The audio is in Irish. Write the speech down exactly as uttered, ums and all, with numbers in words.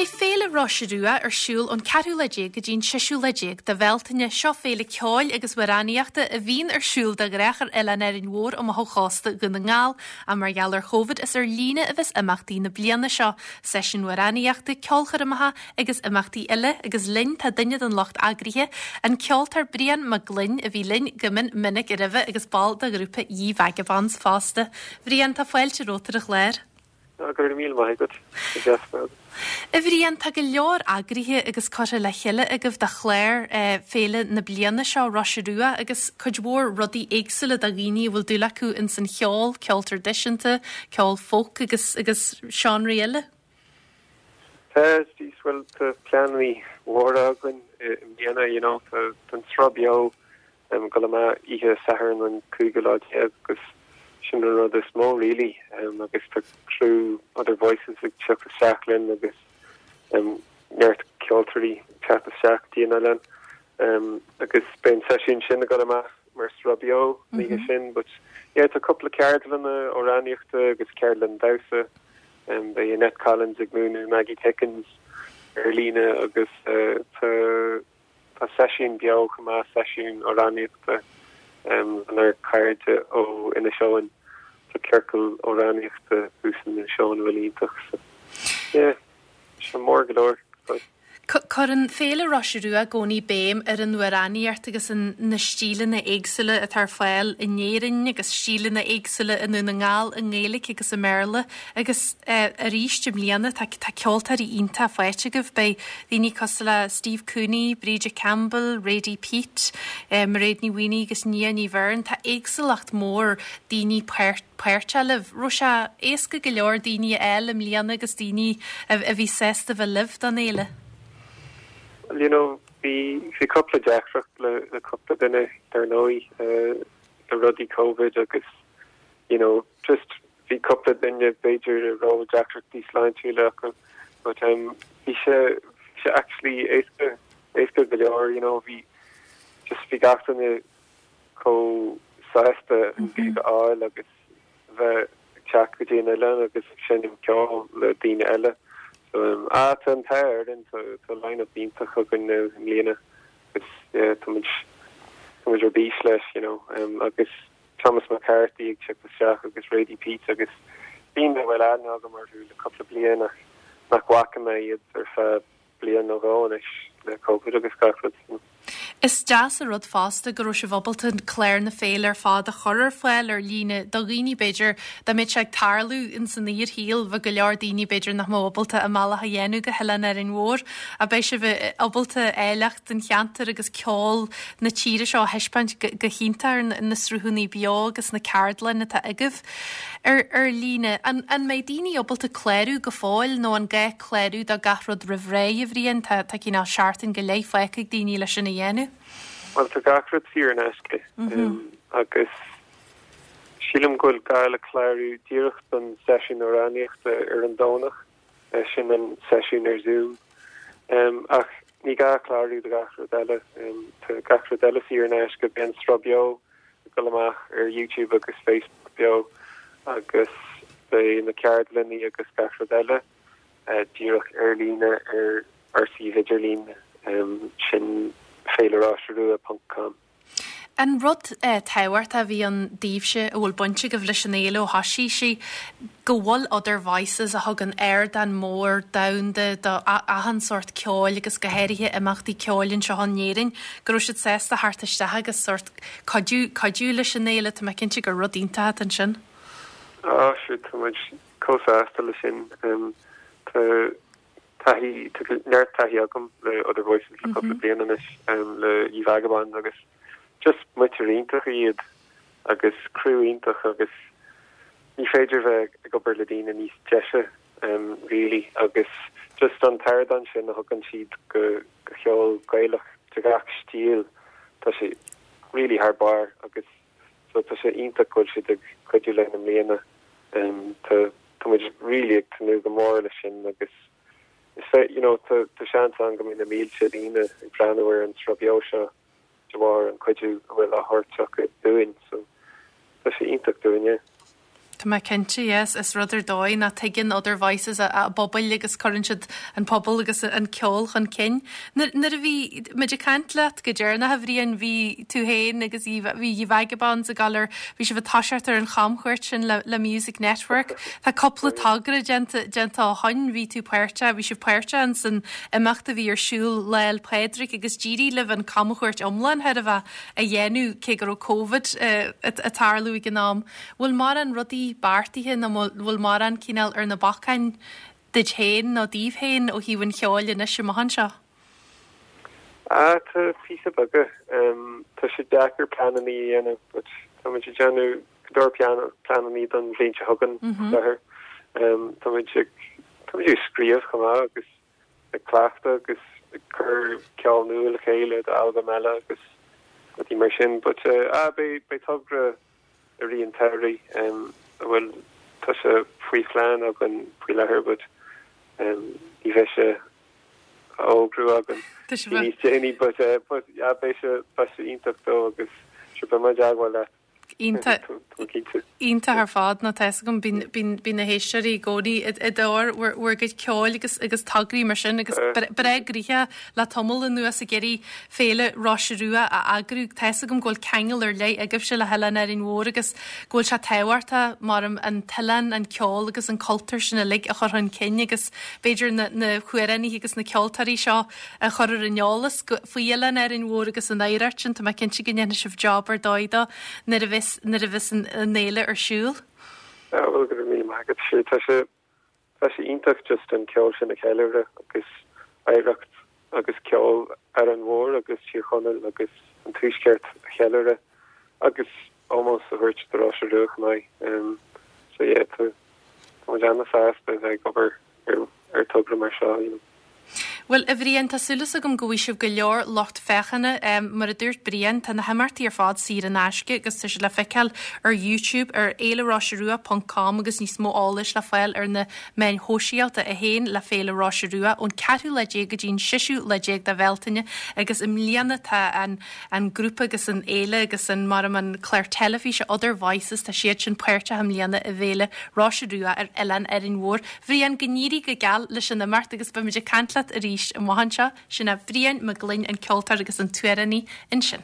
Beidh Féile Roise Rua ar siúl ón ceathrú lá déag go dtí an séú lá déag de Bhealtaine seo féile ceoil agus amhránaíochta a bhíonn ar siúl de ghnáth ar Oileán Árainn Mhór amach ó chósta Dhún na nGall ach mar gheall ar Covid is ar líne a bheas imeachtaí na bliana seo, seisiúin amhránaíochta, ceolchoirmeacha agus imeachtaí eile agus linn tá duine den lucht eagraithe, an ceoltóir Brian Mac Gloinn a bhí linn go mion minic roimhe agus ball de ghrúpa Ye Vagabonds fosta. Bhrian tá fáilte romhat ar an chlár. Go raibh míle maith agat. A Bhriain tá go leor eagraithe agus curtha le chéile agaibh do chlár féile na bliana seo Roise Rua agus cuid mhór rudaí éagsúla do dhaoine a bhfuil dúil acu in san cheol, ceol traidisiúnta, ceol folk agus agus seánraí eile. Tá bhfuil tá pleananna móra againn i mbliana you know tá an sruth beo um, go ma ihe Satharn an cúigiú lá déag agus sin an rud is mó really um, agus tá crew Other Voices ag teacht isteach linn agus um, neart ceoltóirí teacht isteach dtí an oileán um, agus beidh an seisiún sin ag dul amach mar sruth beo mm -hmm. sin but yeah, tá cúpla ceardlanna amhránaíochta agus ceardlann damhsa um, beidh Annette Collins ag múineadh Maggie Pickens ar líne agus uh, tá tá seisiún beo chomh maith seisiún amhránaíochta um, lenár gcairde ó Inis Eoghain tá ciorcal amhránaíochta thuas in Inis Eoghain bhfuil iontach so yeah, sé mór go leor. Cuireann Féile Roise Rua i gcónaí béim ar an amhránaíocht agus an na stíleanna éagsúla atá ar fáil in Éirinn agus stíleanna éagsúla i nDún na nGall i nGaeilge agus i mBéarla agus uh, arís i mbliana tá tá ceoltóirí iontach faighte agaibh beidh daoine cosúil le Steve Cooney, Bríde Campbell, Radie Peat, uh, Mairéad Ní Mhaonaigh agus Nia Ní Bheirn tá éagsúlacht mór daoine páirteach libh. Raibh sé éasca go leor daoine eile i mbliana agus daoine a, a bhí sásta bheith libh don fhéile. you know bhí bhí cúpla deacracht le le cúpla duine dar ndóigh uh, le rudaí COVID agus you know just bhí cúpla duine b'fhéidir a raibh deacrachtaí sláintiúla acu but um bhí sé bhí sé actually éasca éasca go leor you know bhí just bhí gach duine chomh sásta an gig a fháil agus bheith teacht go dtí an oileán agus seinm ceol le daoine eile. So um, ah, tá an t-ádh orainn tá tá line-up iontach againn i mbliana agus yeah, tá muid tá muid ar bís leis you know um, agus Thomas McCarthy ag teacht isteach agus Radie Peat agus daoine a bhfuil aithne agam orthu le cúpla bliain ach nach bhfaca mé iad ar feadh bliain nó dhó anois le COVID agus gach rud. Is deas an rud fosta go raibh sibh ábalta clár na féile ar fad a chur ar fáil ar líne do dhaoine b'fhéidir dá mbeadh sé ag tarlú in san fhíorshaol bheadh go leor daoine b'fhéidir nach mbeadh ábalta a mbealach a dhéanamh go hOileán Árainn Mhór a beidh sibh ábalta áilleacht an cheantair agus ceol na tíre seo a thaispeáint go hiontach ar na sruthanna beo agus na ceardlanna atá agaibh. Ar, ar líne an, an mbeidh daoine ábalta clárú go fóill nó an gá clárú do gach rud roimh ré a Bhriain tá tá cineál seachtain go leith fágtha ag daoine leis sin a dhéanamh. Well tá gach rud saor in aisce um, agus sílim go bhfuil gá le clárú díreach don seisiún amhránaíochta ar an Domhnach sin an seisiún ar Zoom. Um, ach ní gá clárú do gach rud eile um, tá gach rud eile saor in aisce beidh an sruth beo ag dul amach ar YouTube agus Facebook beo agus beidh na ceardlanna agus gach rud eile uh, díreach ar líne ar ar suíomh idirlín um, sin féileroiserua.com. An rud eh, tábhachtach a bhí ann daoibhse a bhfuil baint agaibh leis an fhéile ó thosaigh sí go bhfuil Other Voices a thugann ardán mór domhanda do achan sórt ceoil agus go háirithe imeachtaí ceoil anseo in Éirinn, go raibh siad sásta theacht isteach agus sórt cuidiú cuidiú leis an fhéile tá mé cinnte gur rud iontach ansin. Á sí tá muid chomh sásta le sin um, tá taithí neart taithí agam le Other Voices le cúpla bliain anois um, le Ye Vagabonds agus just muintir iontach iad agus crew iontach agus ní féidir bheith ag obair le daoine níos deise um, really agus just an t-ardán sin a thugann siad go go cheol Gaelach de gach stíl tá sé really thar barr agus so tá sé iontach go bhfuil siad ag cuidiú linn i mbliana um, tá tá muid really ag tnúth go mór leis sin agus is fe you know tá tá seans ann go mbeidh na mílte daoine ag breathnú ar an sruth beo seo de bharr an cuidiú a bhfuil á thabhairt acu dúinn so tá sé iontach dúinne. Tá mé cinnte yes, is rud ar dóigh ná tuigeann Other Voices a, a bpobail agus cuireann siad an pobal agus an ceol chun cinn. Nuair a bhí muid ag caint leat go deireanach a Bhriain bhí tú féin agus bhí Ye Vagabonds ag dul ar bhí sibh ag toiseacht ar an chamchuairt sin le, le Music Network. Tá cúpla togra déanta déanta ó shin bhí tú páirteach, bhí sibh páirteach san imeacht a bhí ar siúl Lá 'le Pádraig agus d'éirigh libh an camchuairt iomlán thar a bheith a dhéanamh cé go raibh Covid uh, ag tarlú ag an am. Bhfuil mórán rudaí beartaithe nó bhfuil mórán cineál ar na bacáin duit féin nó daoibh féin ó thaobh an cheoil anois amach anseo? Ah tá píosa beaga um, tá sé deacair pleananna a dhéanamh but tá muid ag déanamh go leor pleananna don bhliain seo chugainn láthair. Um, tá muid ag tá muid ag scríobh chomh maith agus ag cleachtadh agus ag cur ceol nua le chéile d'albam eile agus rudaí mar sin, but uh, ah, beidh beidh togra i rith an tsamhraidh um, a bhfuil tá sé faoi phlean againn faoi láthair but um, ní bheidh sé á fhógrú againn Tá sé níos déanaí but uh, but yeah, beidh sé beidh sé iontach dó agus sure beidh muid i dteagmháil leat. Iontach Tá cinnte. Iontach ar fad nó tá a fhios agam bíonn na héisteoirí i gcónaí i dtóir bhur gcuid ceoil agus agus tograí mar sin agus breá gnoitheach le tamall anuas ag iarraidh féile Rois Rua a eagrú tá a fhios agam go bhfuil ceangal ar leith agaibhse le hOileán Árainn Mhór agus go bhfuil sé tábhachtach mar an t-oileán an ceol agus an cultúr sin uilig a chur chun cinn agus b'fhéidir na na hamhránaithe agus na ceoltóirí seo a chur ar an eolas faoi Oileán Árainn Mhór agus an oidhreacht sin tá mé cinnte go ndéanfaidh sibh job ar dóigh dó nuair a bheas nuair a bheas an an fhéile ar siúl. Ah, bhuel go raibh míle maith agat sé tá sé tá sé iontach just an ceol sin a cheiliúradh agus oidhreacht agus ceol Árainn Mhór agus Tír Chonaill agus an Tuaisceart a cheiliúradh agus ómós a thabhairt do Róise Rua chomh maith. Um, so yeah, tá tá muid an-sásta bheith ag obair ar ar togra mar seo. You know. Well a Bhriain tá súil agam go bhfaighidh sibh go leor lucht féachana um, mar a dúirt Brian tá na himeachtaí ar fad saor in aisce agus tá sé le feiceáil ar YouTube ar fhéileroiserua.com agus níos mó eolais le fáil ar na meáin shóisialta a haon le Féile Róise Rua ón ceathrú lá déag go dtí an séú lá déag de Bhealtaine agus i mbliana tá an, an grúpa agus an fhéile agus an mar an clár teilifíse Other Voices tá siad sin páirteach i mbliana i bhFéile Róise Rua ar Oileán Árainn Mhór. Bhrian go n-éirí go geal leis an imeacht agus beimid ag caint leat arís amach anseo sin é Brian Mac Gloinn an ceoltóir agus an t-amhránaí ansin.